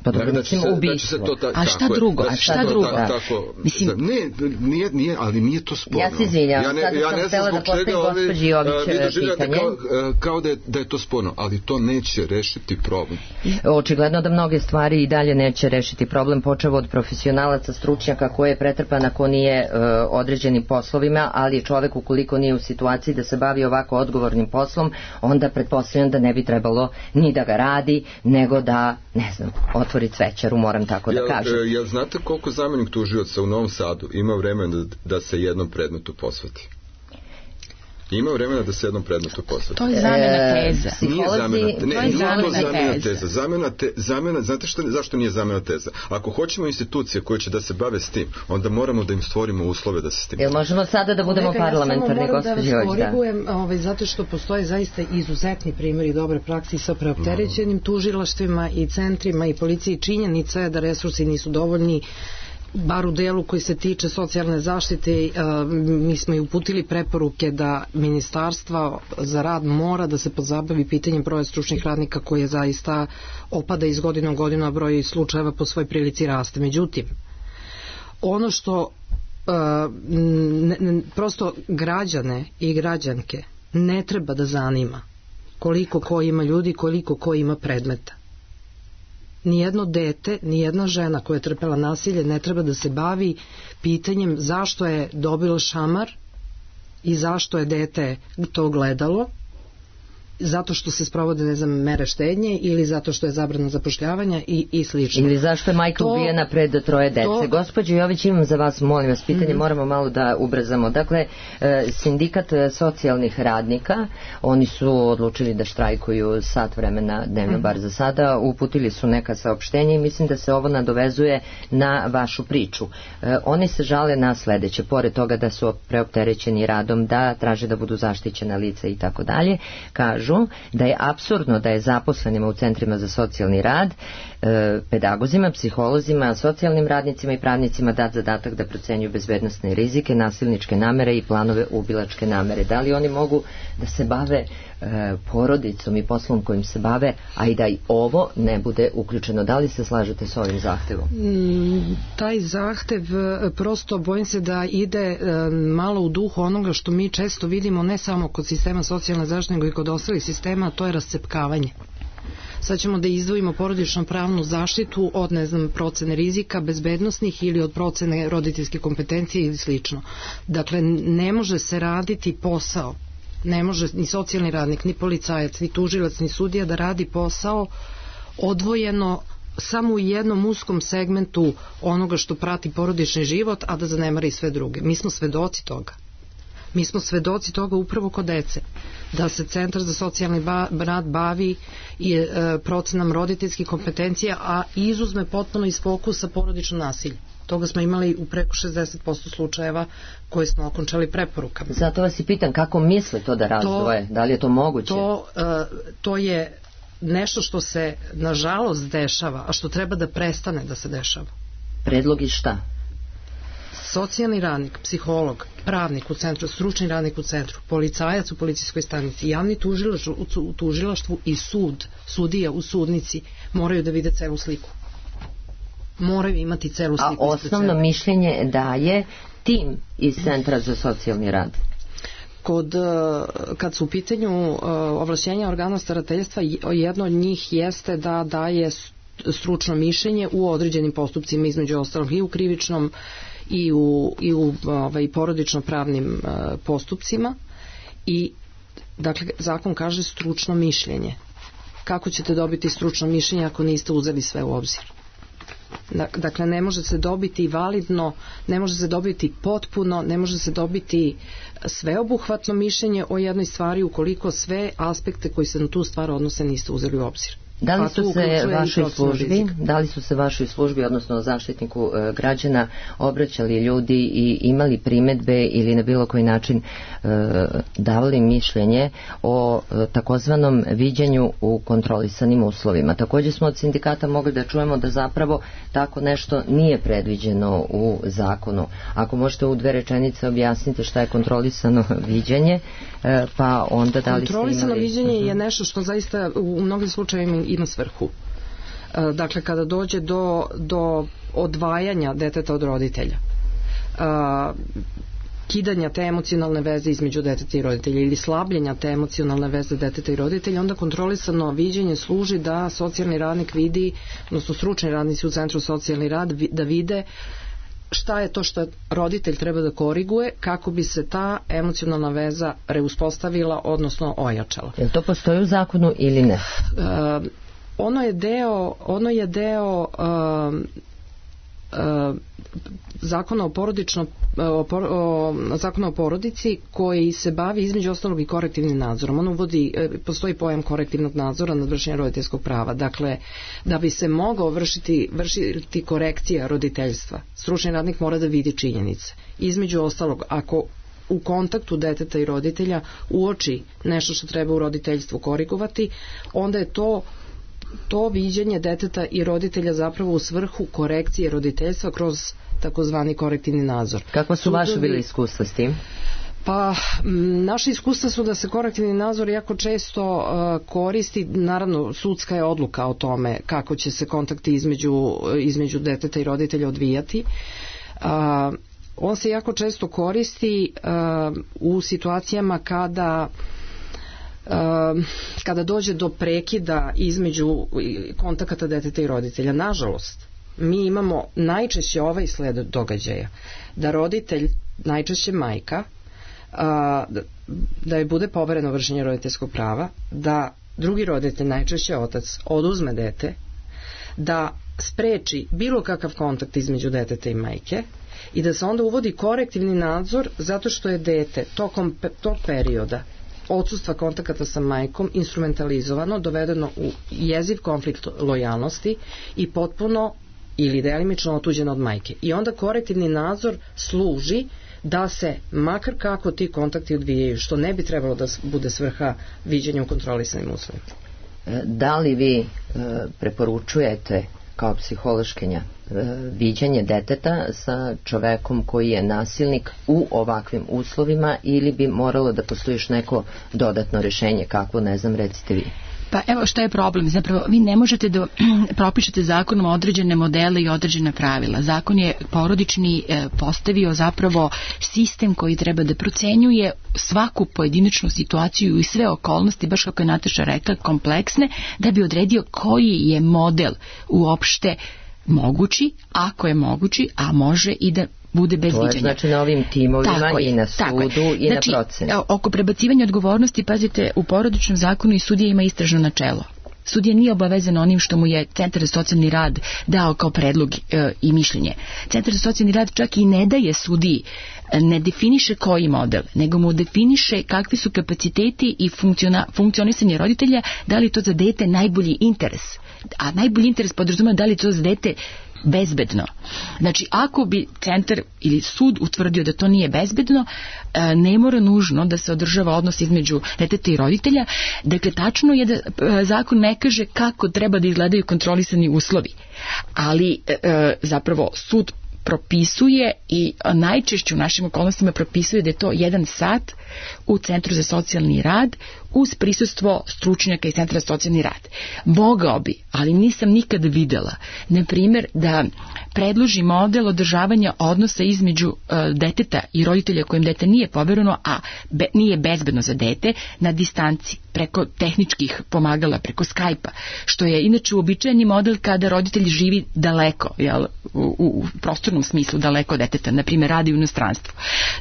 Pa dobro, da će se, da će se to ta, a šta drugo? A šta drugo? Ta, tako, Mislim, ne, nije, nije, ali nije to sporno. Ja se izvinjam, ja ne, sada ja sam ne htjela da postavim gospođi Jović pitanje. Kao, kao da, je, da je to sporno, ali to neće rešiti problem. Očigledno da mnoge stvari i dalje neće rešiti problem, počevo od profesionalaca, stručnjaka koje je pretrpan ako nije uh, određenim poslovima, ali čovek ukoliko nije u situaciji da se bavi ovako odgovornim poslom, onda pretpostavljam da ne bi trebalo ni da ga radi, nego da, ne znam, otvori cvećaru, moram tako da kažem. Jel, jel znate koliko zamjenik tužioca u Novom Sadu ima vremena da, da se jednom predmetu posveti? Ima vremena da se jednom predmetu posveti. To je zamjena teza. Nije zamjena, ne, to je nije zamjena to zamjena teza. teza. Zamjena te, zamjena, znate što, zašto nije zamjena teza? Ako hoćemo institucije koje će da se bave s tim, onda moramo da im stvorimo uslove da se s tim. Jel možemo sada da budemo Kolega, parlamentarni, gospođo? Ja samo moram da vas korigujem, ovaj, zato što postoje zaista izuzetni primjeri dobre praksi sa preopterećenim tužilaštvima i centrima i policiji. Činjenica je da resursi nisu dovoljni, bar u delu koji se tiče socijalne zaštite. Mi smo i uputili preporuke da ministarstva za rad mora da se pozabavi pitanjem broja stručnih radnika koje zaista opada iz godine u godinu, a broj slučajeva po svoj prilici raste. Međutim, ono što ne, ne, prosto građane i građanke ne treba da zanima koliko ko ima ljudi, koliko ko ima predmeta. Nijedno dete, nijedna žena koja je trpela nasilje ne treba da se bavi pitanjem zašto je dobilo šamar i zašto je dete to gledalo, zato što se sprovode, ne znam, mere štednje ili zato što je zabrana zapošljavanja i, i slično. Ili zašto je majka to, ubijena pred troje dece. To... Gospođo Jović, imam za vas, molim vas, pitanje, mm-hmm. moramo malo da ubrzamo. Dakle, sindikat socijalnih radnika, oni su odlučili da štrajkuju sat vremena dnevno, mm-hmm. bar za sada, uputili su neka saopštenja i mislim da se ovo nadovezuje na vašu priču. Oni se žale na sledeće, pored toga da su preopterećeni radom, da traže da budu zaštićena lica i tako dalje, kažu kažu da je apsurdno da je zaposlenima u centrima za socijalni rad, e, pedagozima, psiholozima, socijalnim radnicima i pravnicima dat zadatak da procenjuju bezbednosne rizike, nasilničke namere i planove ubilačke namere. Da li oni mogu da se bave e, porodicom i poslom kojim se bave, a i da i ovo ne bude uključeno? Da li se slažete s ovim zahtevom? Mm, taj zahtev prosto bojim se da ide e, malo u duhu onoga što mi često vidimo ne samo kod sistema socijalne zaštite nego i kod ostalih sistema, a to je rascepkavanje. Sad ćemo da izdvojimo porodično pravnu zaštitu od, ne znam, procene rizika bezbednosnih ili od procene roditeljske kompetencije ili slično. Dakle, ne može se raditi posao, ne može ni socijalni radnik, ni policajac, ni tužilac, ni sudija da radi posao odvojeno samo u jednom uskom segmentu onoga što prati porodični život, a da zanemari sve druge. Mi smo svedoci toga. Mi smo svedoci toga upravo kod dece, da se Centar za socijalni rad bavi i e, procenom roditeljskih kompetencija, a izuzme potpuno iz fokusa porodično nasilje. Toga smo imali u preko šezdeset posto slučajeva koje smo okončali preporukama. Zato vas i pitam kako misle to da razdvoje, to, da li je to moguće? To, e, to je nešto što se nažalost dešava, a što treba da prestane da se dešava. Predlog i šta? Socijalni radnik, psiholog, pravnik u centru, stručni radnik u centru, policajac u policijskoj stanici, javni tužilac u tužilaštvu i sud, sudija u sudnici moraju da vide celu sliku. Moraju imati celu sliku. A osnovno mišljenje daje tim iz Centra za socijalni rad? Kod, kad su u pitanju ovlašćenja organa starateljstva, jedno od njih jeste da daje stručno mišljenje u određenim postupcima, između ostalog i u krivičnom i u, i u ovaj, porodično pravnim uh, postupcima. I dakle zakon kaže stručno mišljenje. Kako ćete dobiti stručno mišljenje ako niste uzeli sve u obzir? Dakle, ne može se dobiti validno, ne može se dobiti potpuno, ne može se dobiti sveobuhvatno mišljenje o jednoj stvari ukoliko sve aspekte koji se na tu stvar odnose niste uzeli u obzir. Da li su se vašoj službi, da li su se vašoj službi, odnosno zaštitniku e, građana, obraćali ljudi i imali primedbe ili na bilo koji način e, davali mišljenje o e, takozvanom viđenju u kontrolisanim uslovima? Također smo od sindikata mogli da čujemo da zapravo tako nešto nije predviđeno u zakonu. Ako možete u dve rečenice objasniti šta je kontrolisano viđenje, e, pa onda da li ste imali... Kontrolisano viđenje je nešto što zaista u mnogim slučajevima ima svrhu. Dakle, kada dođe do, do odvajanja deteta od roditelja, kidanja te emocionalne veze između deteta i roditelja ili slabljenja te emocionalne veze deteta i roditelja, onda kontrolisano viđenje služi da socijalni radnik vidi, odnosno stručni radnici u Centru socijalni rad da vide šta je to što roditelj treba da koriguje kako bi se ta emocionalna veza reuspostavila, odnosno ojačala. Je li to postoji u zakonu ili ne? Uh, ono je deo, ono je deo uh, uh, zakona o porodično o, por, o, zakona o porodici koji se bavi između ostalog i korektivnim nadzorom. On uvodi, postoji pojam korektivnog nadzora nad vršenjem roditeljskog prava. Dakle, da bi se mogao vršiti, vršiti korekcija roditeljstva, stručni radnik mora da vidi činjenice. Između ostalog, ako u kontaktu deteta i roditelja uoči nešto što treba u roditeljstvu korigovati, onda je to to viđenje deteta i roditelja zapravo u svrhu korekcije roditeljstva kroz takozvani korektivni nadzor. Kako su vaše bile iskustva s tim? Pa, naše iskustva su da se korektivni nadzor jako često uh, koristi, naravno sudska je odluka o tome kako će se kontakti između, između deteta i roditelja odvijati. Uh, on se jako često koristi uh, u situacijama kada Uh, kada dođe do prekida između kontakata deteta i roditelja. Nažalost, mi imamo najčešće ovaj sled događaja, da roditelj, najčešće majka, uh, da je bude povereno vršenje roditeljskog prava, da drugi roditelj, najčešće otac, oduzme dete, da spreči bilo kakav kontakt između deteta i majke i da se onda uvodi korektivni nadzor zato što je dete tokom tog perioda odsustva kontakata sa majkom instrumentalizovano, dovedeno u jeziv konflikt lojalnosti i potpuno ili delimično otuđeno od majke. I onda korektivni nadzor služi da se makar kako ti kontakti odvijaju, što ne bi trebalo da bude svrha viđenja u kontrolisanim uslovima. Da li vi preporučujete kao psihološkinja viđanje deteta sa čovekom koji je nasilnik u ovakvim uslovima ili bi moralo da postoji još neko dodatno rešenje, kako, ne znam, recite vi? Pa evo šta je problem, zapravo vi ne možete da propišete zakonom određene modele i određena pravila. Zakon je porodični postavio zapravo sistem koji treba da procenjuje svaku pojedinačnu situaciju i sve okolnosti, baš kako je Nataša rekla, kompleksne, da bi odredio koji je model uopšte mogući, ako je mogući, a može i da bude bez viđenja. To je znači na ovim timovima tako i na sudu je. I znači, na proceni. Oko prebacivanja odgovornosti, pazite, u porodičnom zakonu i sudija ima istražno načelo. Sudija nije obavezan onim što mu je Centar za socijalni rad dao kao predlog e, i mišljenje. Centar za socijalni rad čak i ne daje sudiji, ne definiše koji model, nego mu definiše kakvi su kapaciteti i funkcionisanje roditelja, da li to za dete najbolji interes. A najbolji interes podrazumeva da li to za dete bezbedno. Znači, ako bi centar ili sud utvrdio da to nije bezbedno, ne mora nužno da se održava odnos između deteta i roditelja. Dakle, tačno je da zakon ne kaže kako treba da izgledaju kontrolisani uslovi, ali zapravo sud propisuje i najčešće u našim okolnostima propisuje da je to jedan sat u Centru za socijalni rad uz prisustvo stručnjaka iz Centra za socijalni rad. Mogao bi, ali nisam nikada videla, na primjer, da predloži model održavanja odnosa između uh, deteta i roditelja kojem dete nije povereno, a be, nije bezbedno za dete, na distanci, preko tehničkih pomagala, preko Skype-a, što je inače uobičajeni model kada roditelj živi daleko, jel, u, u, u prostornom smislu daleko od deteta, na primjer radi u inostranstvu.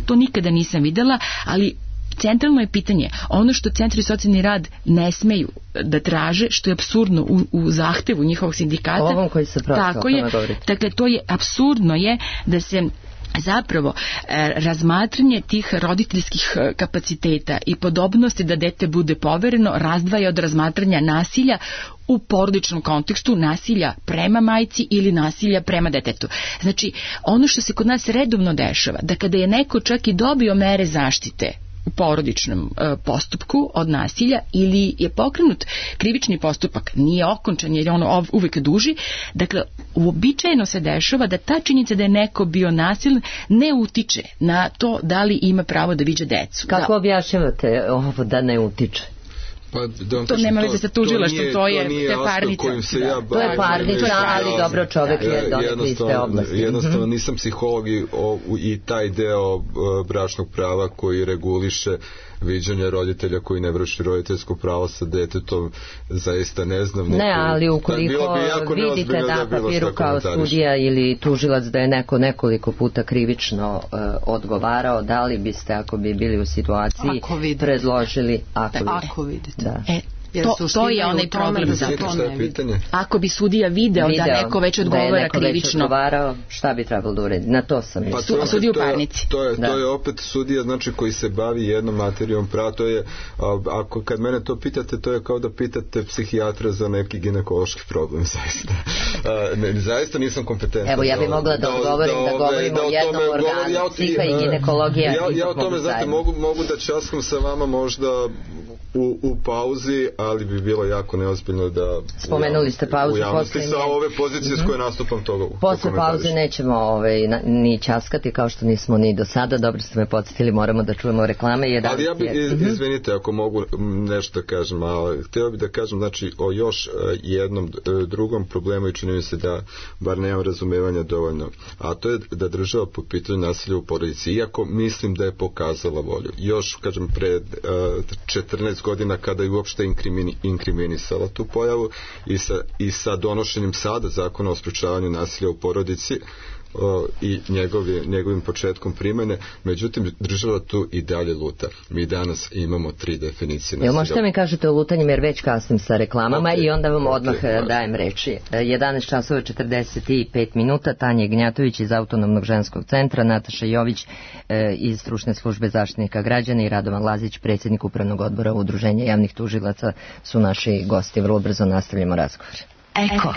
To nikada nisam videla, ali centralno je pitanje, ono što centri socijalni rad ne smeju da traže, što je apsurdno u, u zahtevu njihovog sindikata. Ovom koji se prosto, tako je, dakle, to je apsurdno je da se zapravo e, razmatranje tih roditeljskih kapaciteta i podobnosti da dete bude povereno razdvaja od razmatranja nasilja u porodičnom kontekstu, nasilja prema majci ili nasilja prema detetu. Znači, ono što se kod nas redovno dešava, da kada je neko čak i dobio mere zaštite u porodičnom e, postupku od nasilja ili je pokrenut krivični postupak, nije okončan jer je ono uvek duži, dakle uobičajeno se dešava da ta činjenica da je neko bio nasilan ne utiče na to da li ima pravo da viđa decu. Kako da objašnjavate ovo da ne utiče? Pa, da to nema veze sa tužilaštvom, to, to je, to je parnica. Da. Ja to je parnica, ali dobro, čovjek je donekli iste oblasti. Jednostavno nisam psiholog i, o, i taj deo bračnog prava koji reguliše viđanje roditelja koji ne vrši roditeljsko pravo sa detetom, zaista ne znam. Neko, ne, ali ukoliko bi vidite na da papiru kao sudija ili tužilac da je neko nekoliko puta krivično uh, odgovarao, da li biste, ako bi bili u situaciji, predložili ako, da, ako vidite. Da. E, To, to je onaj problem za to. Ako bi sudija video, video da neko već odgovara da je neko krivično. Već odgovarao, šta bi trebalo da uredi? Na to sam pa to, sudija u parnici. To je, da. to je opet sudija, znači, koji se bavi jednom materijom prava. To je, ako kad mene to pitate, to je kao da pitate psihijatra za neki ginekološki problem, zaista. Ne, zaista nisam kompetentan. Evo, ja bih mogla da odgovorim, da, da, da govorimo da o jednom organu, ja, psiha i ginekologija. Ja, ja o tome, znate, mogu, mogu da časkam sa vama možda u, u pauzi, ali bi bilo jako neozbiljno da spomenuli ste pauzu u javnosti sa ove pozicije mm-hmm. s koje nastupam toga. Posle pauze nećemo ovaj, na, ni časkati kao što nismo ni do sada. Dobro ste me podsjetili, moramo da čujemo reklame. Jedan ali ja bi, iz, izvinite ako mogu nešto da kažem, ali htio bih da kažem, znači, o još jednom drugom problemu i čini mi se da bar nemam razumevanja dovoljno, a to je da država po pitanju nasilja u porodici, iako mislim da je pokazala volju. Još, kažem, pred uh, četrnaest godina kada je uopšte inkrimini, inkriminisala tu pojavu i sa, i sa donošenjem sada zakona o sprečavanju nasilja u porodici o, i njegovi, njegovim početkom primene, međutim država tu i dalje luta. Mi danas imamo tri definicije nasilja. Jel možete mi kažete o lutanjem, jer već kasnim sa reklamama okay. i onda vam odmah okay, dajem reči. jedanaest časova četrdeset pet minuta, Tanja Ignjatović iz Autonomnog ženskog centra, Nataša Jović e, iz Stručne službe zaštitnika građana i Radovan Lazić, predsjednik Upravnog odbora Udruženja javnih tužilaca, su naši gosti. Vrlo brzo nastavljamo razgovor. Eko.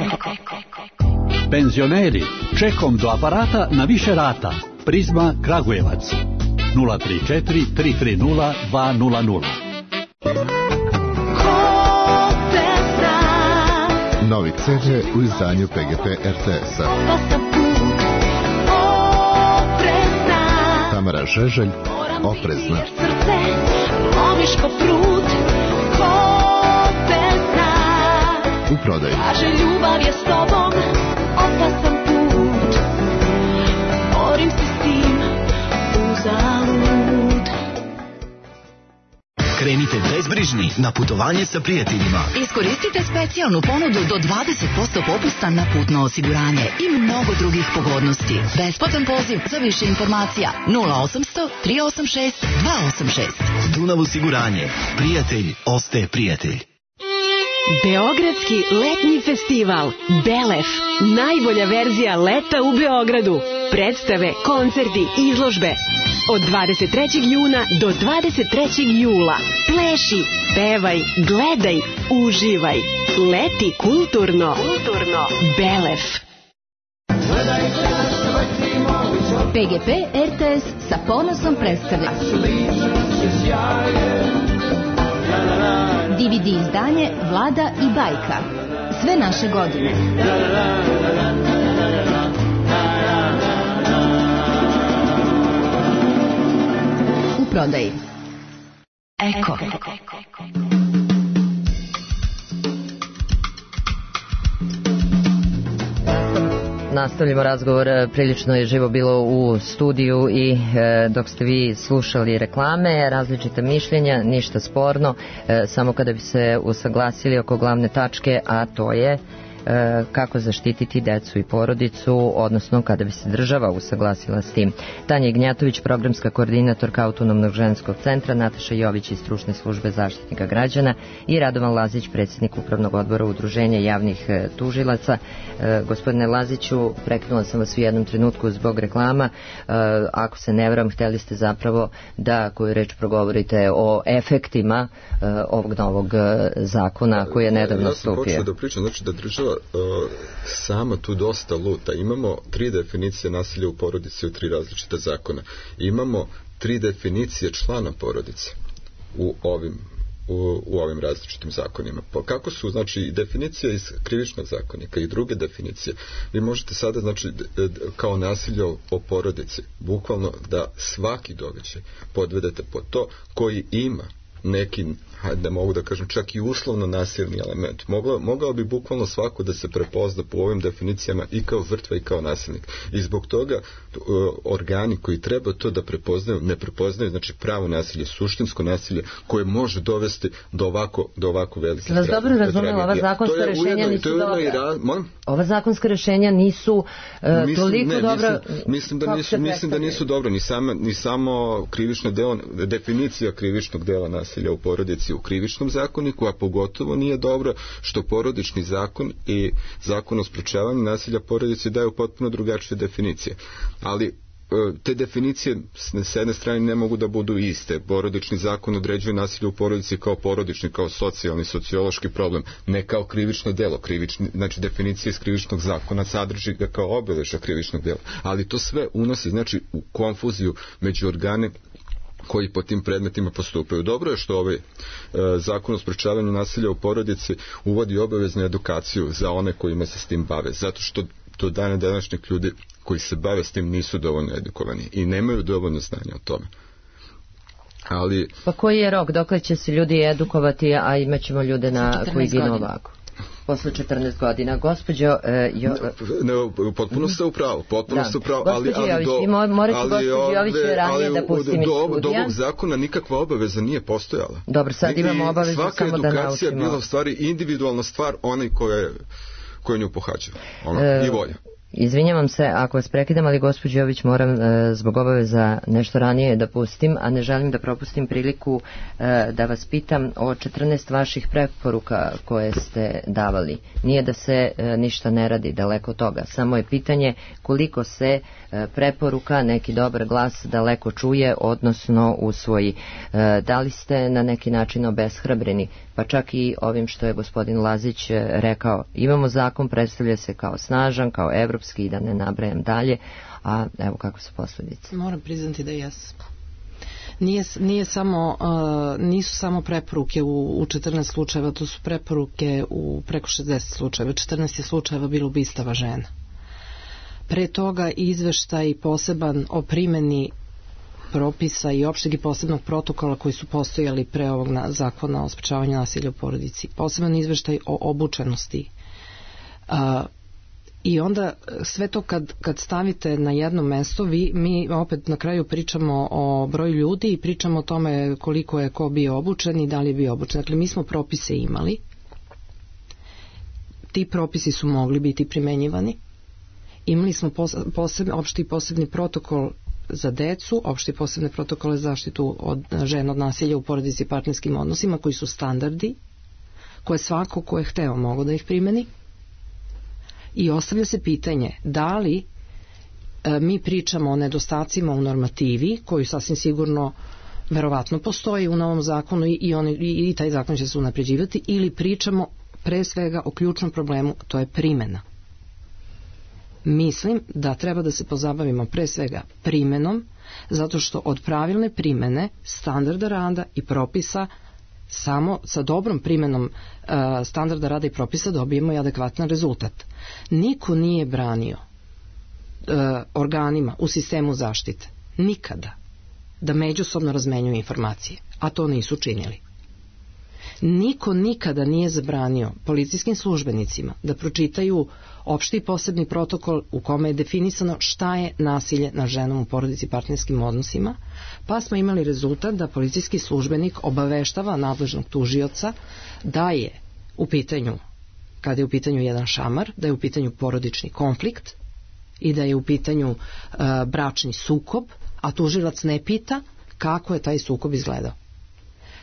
Penzioneri, čekom do aparata na više rata. Prizma Kragujevac. nula tri četiri tri tri nula dva nula nula. Novi ce de u izdanju P G P R T S-a. Tamara Žeželj, Oprezna. U prodaju. Ljubav je s tobom, opasan put. Borim se s tim, uzalud. Krenite bezbrižni na putovanje sa prijateljima. Iskoristite specijalnu ponudu do dvadeset posto popusta na putno osiguranje i mnogo drugih pogodnosti. Besplatan poziv za više informacija nula osamsto tri osam šest dva osam šest. Dunav osiguranje. Prijatelj ostaje prijatelj. Beogradski letnji festival Belef. Najbolja verzija leta u Beogradu. Predstave, koncerti, izložbe. Od dvadeset trećeg juna do dvadeset trećeg jula. Pleši, pevaj, gledaj, uživaj. Leti kulturno. Kulturno. Belef. P G P R T S sa ponosom predstavlja D V D izdanje Vlada i bajka. Sve naše godine. U prodaji. Eko. Nastavljamo razgovor, prilično je živo bilo u studiju i e, dok ste vi slušali reklame, različite mišljenja, ništa sporno, e, samo kada bi se usaglasili oko glavne tačke, a to je e, kako zaštititi decu i porodicu, odnosno kada bi se država usaglasila s tim. Tanja Ignjatović, programska koordinatorka Autonomnog ženskog centra, Nataša Jović iz stručne službe zaštitnika građana i Radovan Lazić, predsjednik upravnog odbora Udruženja javnih e, tužilaca. E, gospodine Laziću, prekinula sam vas u jednom trenutku zbog reklama. E, ako se ne varam, htjeli ste zapravo da koju reč progovorite o efektima e, ovog novog e, zakona koji je nedavno ja stupio. Ja sam počeo da pričam, znači da država uh, sama tu dosta luta. Imamo tri definicije nasilja u porodici u tri različita zakona. Imamo tri definicije člana porodice u ovim U, u ovim različitim zakonima. Pa kako su, znači, definicija iz krivičnog zakonika i druge definicije. Vi možete sada, znači, d, d, kao nasilje o, o porodici, bukvalno da svaki događaj podvedete pod to koji ima neki, hajde, mogu da kažem, čak i uslovno nasilni element. Mogao, mogao bi bukvalno svako da se prepozna po ovim definicijama i kao žrtva i kao nasilnik. I zbog toga uh, organi koji treba to da prepoznaju, ne prepoznaju, znači pravo nasilje, suštinsko nasilje koje može dovesti do ovako, do ovako velikih tragedija. Vas dobro razumela, ova zakonska rešenja nisu dobra. Ova zakonska rešenja nisu uh, mislim, toliko ne, dobra. Mislim, mislim, da nisu, mislim da nisu dobro, ni, sama, ni samo krivično delo, definicija krivičnog dela nasilja u porodici u krivičnom zakoniku, a pogotovo nije dobro što porodični zakon i zakon o sprečavanju nasilja porodici daju potpuno drugačije definicije. Ali te definicije s jedne strane ne mogu da budu iste. Porodični zakon određuje nasilje u porodici kao porodični, kao socijalni, sociološki problem, ne kao krivično delo. Krivični, znači definicija iz krivičnog zakona sadrži ga kao obeležja krivičnog dela. Ali to sve unosi, znači, u konfuziju među organe koji po tim predmetima postupaju. Dobro je što ovaj e, zakon o sprečavanju nasilja u porodici uvodi obaveznu edukaciju za one kojima se s tim bave, zato što do dana današnjih ljudi koji se bave s tim nisu dovoljno edukovani i nemaju dovoljno znanja o tome. Ali... Pa koji je rok? Dokle će se ljudi edukovati, a imat ćemo ljude na koji ginu ovako? Posle četrnaest godina. Gospođo e, jo... ne, ne, potpuno ste u pravu, potpuno da. ste u pravu, ali, ali Jović, do, morat ću gospođi Jović ranije da pustim iz studija. Do ovog zakona nikakva obaveza nije postojala. Dobro, sad imamo obavezu samo da naučimo. Svaka edukacija je bila u stvari individualna stvar onaj koja koje nju pohađa, ono, e, i volja. Izvinjavam se ako vas prekidam, ali gospođo Jović moram e, zbog obaveza nešto ranije da pustim, a ne želim da propustim priliku e, da vas pitam o četrnaest vaših preporuka koje ste davali. Nije da se e, ništa ne radi, daleko od toga. Samo je pitanje koliko se e, preporuka, neki dobar glas daleko čuje, odnosno usvoji. E, da li ste na neki način obeshrabreni? Pa čak i ovim što je gospodin Lazić rekao, imamo zakon, predstavlja se kao snažan, kao evropski i da ne nabrajam dalje, a evo kako su posljedice. Moram priznati da jes. Nije, nije samo, uh, nisu samo preporuke u, u četrnaest slučajeva, to su preporuke u preko šezdeset slučajeva. četrnaest je slučajeva bilo ubistava žena. Pre toga izveštaj poseban o primjeni propisa i opšteg i posebnog protokola koji su postojali pre ovog na, zakona o sprečavanju nasilja u porodici. Poseban izveštaj o obučenosti. Uh, I onda sve to kad, kad stavite na jedno mesto, vi, mi opet na kraju pričamo o broju ljudi i pričamo o tome koliko je ko bio obučen i da li je bio obučen. Dakle, mi smo propise imali. Ti propisi su mogli biti primenjivani. Imali smo posebni, opšti i posebni protokol za decu, opšti i posebne protokole za zaštitu od žena od nasilja u porodici i partnerskim odnosima, koji su standardi, koje svako ko je hteo mogo da ih primeni. I ostavlja se pitanje da li e, mi pričamo o nedostacima u normativi, koji sasvim sigurno verovatno postoji u novom zakonu i, i, on, i, i taj zakon će se unapređivati, ili pričamo pre svega o ključnom problemu, to je primjena. Mislim da treba da se pozabavimo pre svega primenom, zato što od pravilne primene, standarda rada i propisa, samo sa dobrom primenom uh, standarda rada i propisa dobijemo i adekvatan rezultat. Niko nije branio uh, organima u sistemu zaštite nikada da međusobno razmenjuju informacije, a to nisu činili. Niko nikada nije zabranio policijskim službenicima da pročitaju opšti i posebni protokol u kome je definisano šta je nasilje nad ženom u porodici i partnerskim odnosima, pa smo imali rezultat da policijski službenik obaveštava nadležnog tužioca da je u pitanju, kada je u pitanju jedan šamar, da je u pitanju porodični konflikt i da je u pitanju uh, bračni sukob, a tužilac ne pita kako je taj sukob izgledao.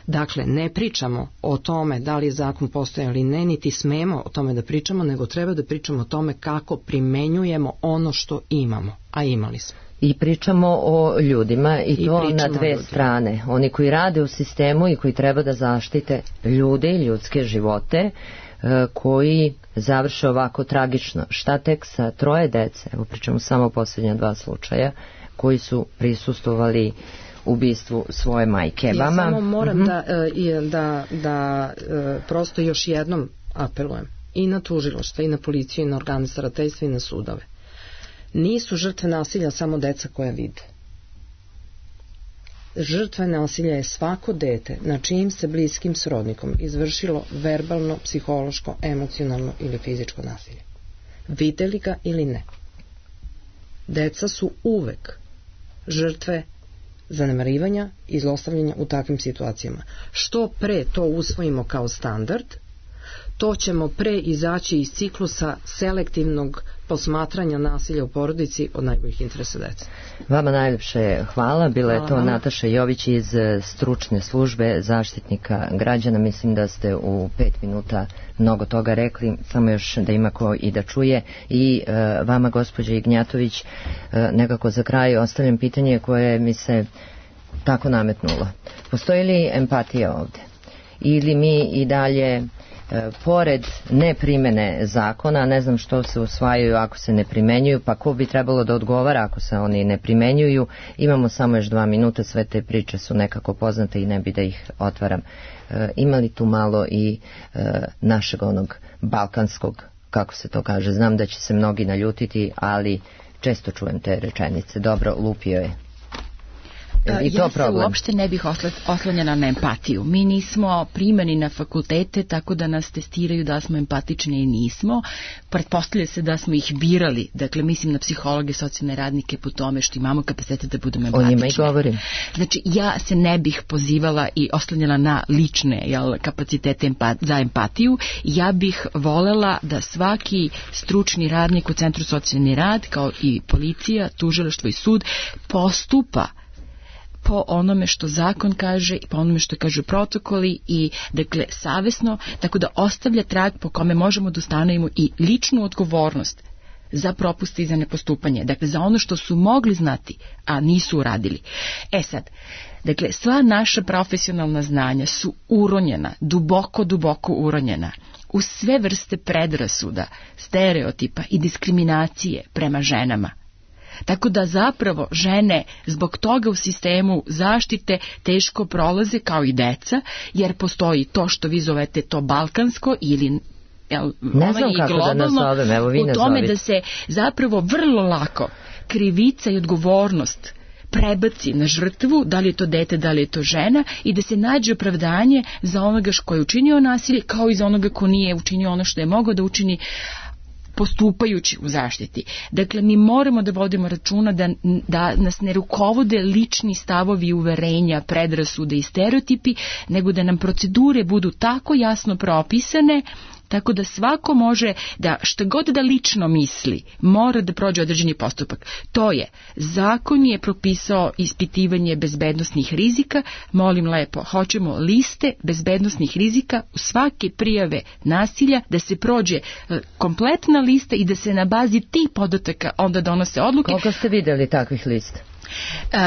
Dakle, ne pričamo o tome da li je zakon postojao ili ne, niti smemo o tome da pričamo, nego treba da pričamo o tome kako primenjujemo ono što imamo, a imali smo. I pričamo o ljudima i, I to na dve strane. Oni koji rade u sistemu i koji treba da zaštite ljude i ljudske živote, koji završe ovako tragično. Šta tek sa troje dece, evo pričamo samo o posljednja dva slučaja, koji su prisustvovali ubistvu svoje majke. Ja Vama? samo moram uh-huh. da, da, da prosto još jednom apelujem i na tužilaštvo, i na policiju, i na organe starateljstva, i na sudove. Nisu žrtve nasilja samo deca koja vide. Žrtve nasilja je svako dete na čijim se bliskim srodnikom izvršilo verbalno, psihološko, emocionalno ili fizičko nasilje. Videli ga ili ne. Deca su uvek žrtve zanemarivanja i zlostavljanja u takvim situacijama. Što pre to usvojimo kao standard, to ćemo pre izaći iz ciklusa selektivnog posmatranja nasilja u porodici od najboljih interesa dece. Vama najljepše hvala. Bila hvala je to vam. Nataša Jović iz stručne službe Zaštitnika građana. Mislim da ste u pet minuta mnogo toga rekli, samo još da ima ko i da čuje. I e, vama, gospođa Ignjatović, e, nekako za kraj ostavljam pitanje koje mi se tako nametnulo. Postoji li empatija ovde? Ili mi i dalje pored neprimene zakona, ne znam što se usvajaju ako se ne primenjuju, pa ko bi trebalo da odgovara ako se oni ne primenjuju. Imamo samo još dva minuta, sve te priče su nekako poznate i ne bi da ih otvaram. E, ima li tu malo i e, našeg onog balkanskog, kako se to kaže, znam da će se mnogi naljutiti, ali često čujem te rečenice, dobro, lupio je. I to ja problem. se uopšte ne bih oslonjena na empatiju. Mi nismo primani na fakultete tako da nas testiraju da smo empatični i nismo. Pretpostavlja se da smo ih birali. Dakle, mislim na psihologe, socijalne radnike po tome što imamo kapacitet da budemo empatični. O njima i govorim. Znači, ja se ne bih pozivala i oslonjena na lične jel, kapacitete empa- za empatiju. Ja bih volela da svaki stručni radnik u Centru socijalni rad, kao i policija, tužilaštvo i sud, postupa po onome što zakon kaže i po onome što kažu protokoli i dakle savesno, tako da ostavlja trag po kome možemo da ustanovimo i ličnu odgovornost za propuste i za nepostupanje, dakle za ono što su mogli znati, a nisu uradili. E sad, dakle sva naša profesionalna znanja su uronjena, duboko, duboko uronjena u sve vrste predrasuda, stereotipa i diskriminacije prema ženama. Tako da zapravo žene zbog toga u sistemu zaštite teško prolaze kao i deca, jer postoji to što vi zovete to balkansko ili jel, ne znam kako da nazovem, evo vi u tome da se zapravo vrlo lako krivica i odgovornost prebaci na žrtvu, da li je to dete, da li je to žena, i da se nađe opravdanje za onoga ko je učinio nasilje, kao i za onoga ko nije učinio ono što je mogao da učini postupajući u zaštiti. Dakle, mi moramo da vodimo računa da, da nas ne rukovode lični stavovi, uverenja, predrasude i stereotipi, nego da nam procedure budu tako jasno propisane tako da svako može da šta god da lično misli, mora da prođe određeni postupak. To je, zakon je propisao ispitivanje bezbednosnih rizika, molim lepo, hoćemo liste bezbednosnih rizika u svake prijave nasilja, da se prođe kompletna lista i da se na bazi tih podataka onda donose odluke. Koliko ste vidjeli takvih lista?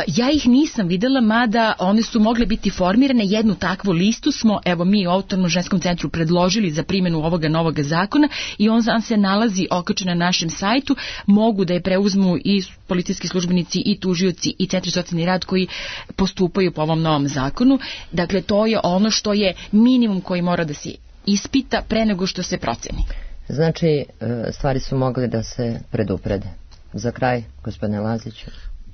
Ja ih nisam videla, mada one su mogle biti formirane. Jednu takvu listu smo, evo mi u Autonomnom ženskom centru predložili za primjenu ovoga novog zakona i on se nalazi okačen na našem sajtu. Mogu da je preuzmu i policijski službenici i tužioci i centri socijalni rad koji postupaju po ovom novom zakonu. Dakle, to je ono što je minimum koji mora da se ispita pre nego što se proceni. Znači, stvari su mogle da se preduprede. Za kraj, gospodine Laziću.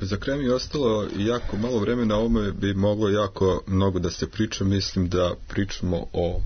Za kraj mi je ostalo jako malo vremena, ovome bi moglo jako mnogo da se priča. Mislim da pričamo o,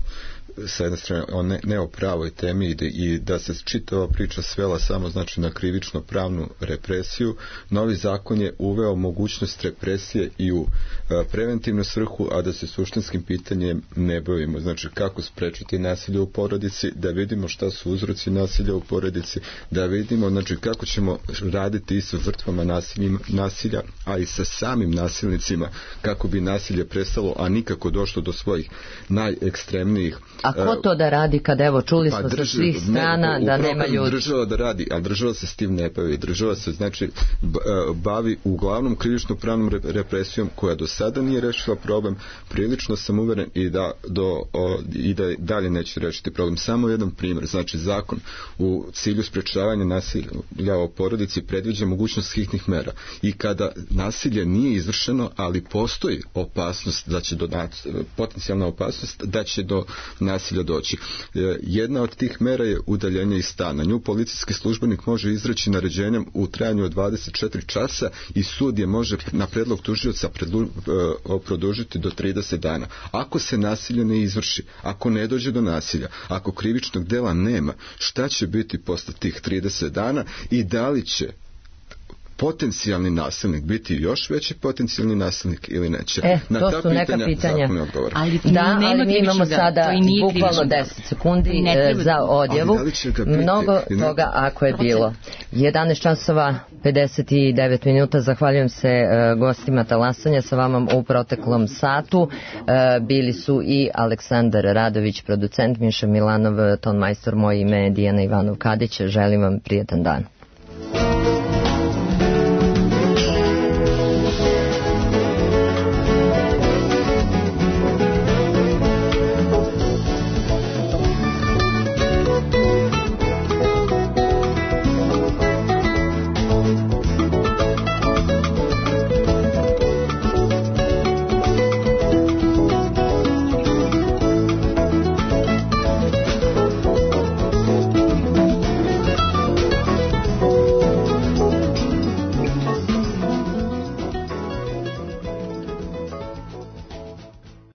sa jedne strane, o ne, ne o pravoj temi i da, i da se čitava priča svela samo znači na krivično pravnu represiju. Novi zakon je uveo mogućnost represije i u a, preventivnu svrhu, a da se suštinskim pitanjem ne bavimo. Znači kako sprečiti nasilje u porodici, da vidimo šta su uzroci nasilja u porodici, da vidimo znači kako ćemo raditi i sa žrtvama nasilja, a i sa samim nasilnicima, kako bi nasilje prestalo, a nikako došlo do svojih najekstremnijih. A ko to da radi kad, evo, čuli smo sa svih strana ne, da nema ljudi? Država da radi, ali država se s tim ne bavi. Država se, znači, bavi uglavnom krivično pravnom represijom koja do sada nije rešila problem. Prilično sam uveren i da, do, o, i da dalje neće rešiti problem. Samo jedan primjer. Znači, zakon u cilju sprečavanja nasilja u porodici predviđa mogućnost hitnih mera. I kada nasilje nije izvršeno, ali postoji opasnost da će do, potencijalna opasnost da će do nasilja doći. Jedna od tih mera je udaljenje iz stana. Nju policijski službenik može izreći naređenjem u trajanju od dvadeset četiri časa i sud je može na predlog tužioca produžiti do trideset dana. Ako se nasilje ne izvrši, ako ne dođe do nasilja, ako krivičnog dela nema, šta će biti posle tih trideset dana i da li će potencijalni nasilnik biti još veći potencijalni nasilnik ili neće? E, na to ta su neka pitanja, pitanja. Ali da, ali mi imamo sada bukvalno deset sekundi za odjavu. Mnogo toga ako je bilo. jedanaest časova pedeset devet minuta. Zahvaljujem se uh, gostima talasanja sa vama u proteklom satu. Uh, bili su i Aleksandar Radović, producent, Miša Milanov, ton majstor, moje ime je Dijana Ivanov Kadić. Želim vam prijetan dan.